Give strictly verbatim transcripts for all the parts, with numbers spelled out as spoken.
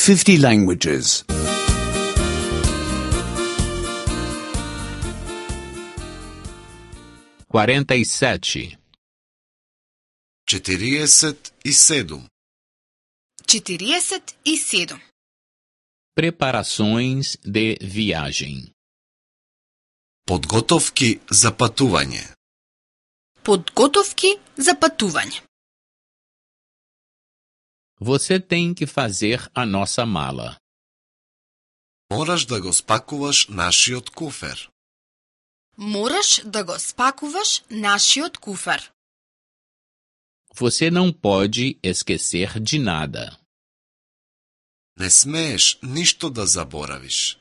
fifty languages. quarenta e sete. четириесет и седум. четириесет и седум. Preparações de viagem. Подготовки за патување. Подготовки за патување. Você tem que fazer a nossa mala. Мораш да го спакуваш нашиот куфер. Мораш да го спакуваш нашиот куфер. Você não pode esquecer de nada. Не смееш ништо да заборавиш.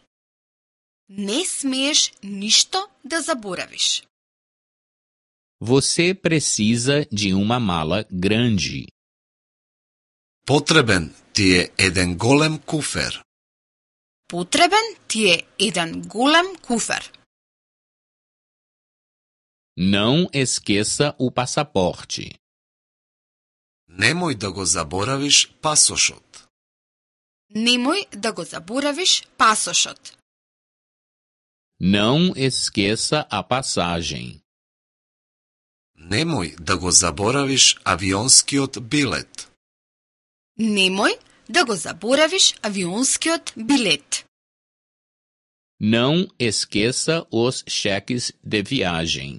Не смееш ништо да заборавиш. Você precisa de uma mala grande. Потребен ти е еден голем куфер. Потребен ти е еден голем куфер. Não esqueça o passaporte. Немој да го заборавиш пасошот. Немој да го заборавиш пасошот. Não esqueça a passagem. Немој да го заборавиш авионскиот билет. Немој да го заборавиш авионскиот билет. Não esqueça os cheques de viagem.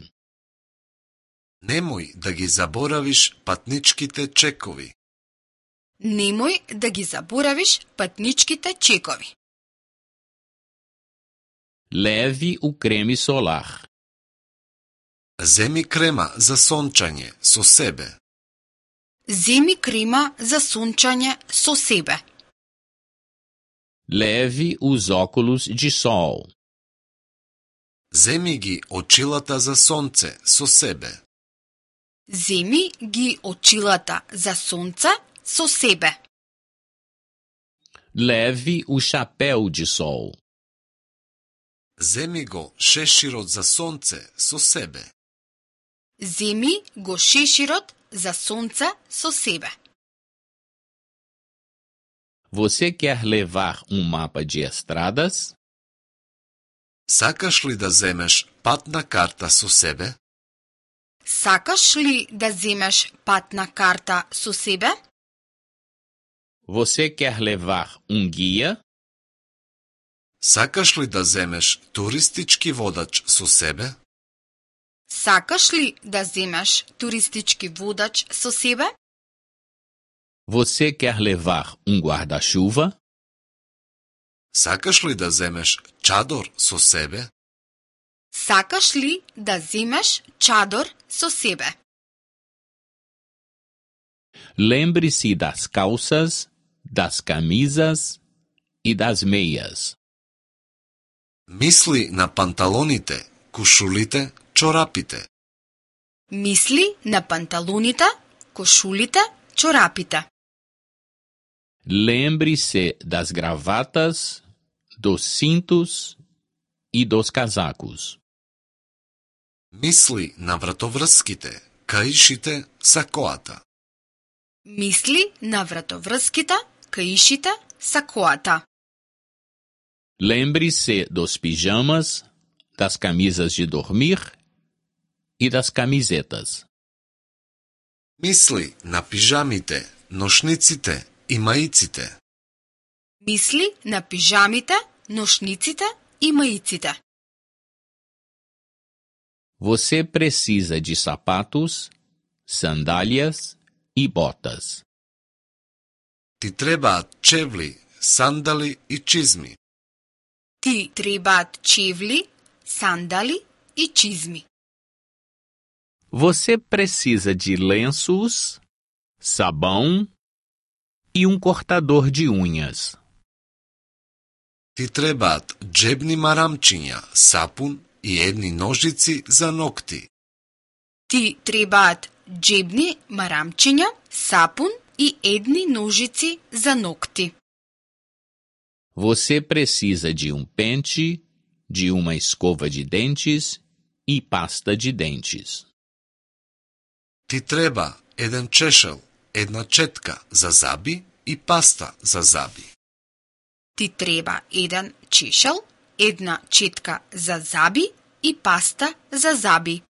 Немој да ги заборавиш патничките чекови. Немој да ги заборавиш патничките чекови. Leve o creme solar. Земи крема за сончање со себе. Земи крема за сончање со себе. Leve os óculos de sol. Земи ги очилата за сонце со себе. Земи ги очилата за сонце со себе. Leve o chapéu de sol. Земи го шеширот за сонце со себе. Земи го шеширот за сонце со себе. Você quer levar um mapa de estradas? Сакаш ли да земеш патна карта со себе? Сакаш ли да земеш патна карта со себе? Você quer levar um guia? Сакаш ли да земеш туристички водач со себе? Сакаш ли да земеш туристички водач со себе? Você quer levar um guarda-chuva? Сакаш ли да земеш чадор со себе? Сакаш ли да земеш чадор со себе? Lembre-se das calças, das camisas e das meias. Мисли на панталоните, кушулите, чорапите. Мисли на панталоните, кошулите, чорапите. Lembre-se das gravatas, dos cintos e dos casacos. Мисли на вратоврските, каишите, сакоата. Мисли на вратоврските, каишите, сакоата. Lembre-se dos pijamas, das camisas de dormir e das camisetas. Мисли на пижамите, ношниците и маиците. Мисли на пижамите, ношниците и маиците. Você precisa de sapatos, sandálias e botas. Ти требаат чевли, сандали и чизми. Ти требаат чевли, сандали и чизми. Você precisa de lenços, sabão e um cortador de unhas. Ти требаат джебни марамчиња, сапун и едни ножици за ногти. Ти требаат джебни марамчиња, сапун и едни ножици за ногти. Você precisa de um pente, de uma escova de dentes e pasta de dentes. Ти треба еден чешел, една четка за заби и паста за заби. Ти треба еден чешел, една четка за заби и паста за заби.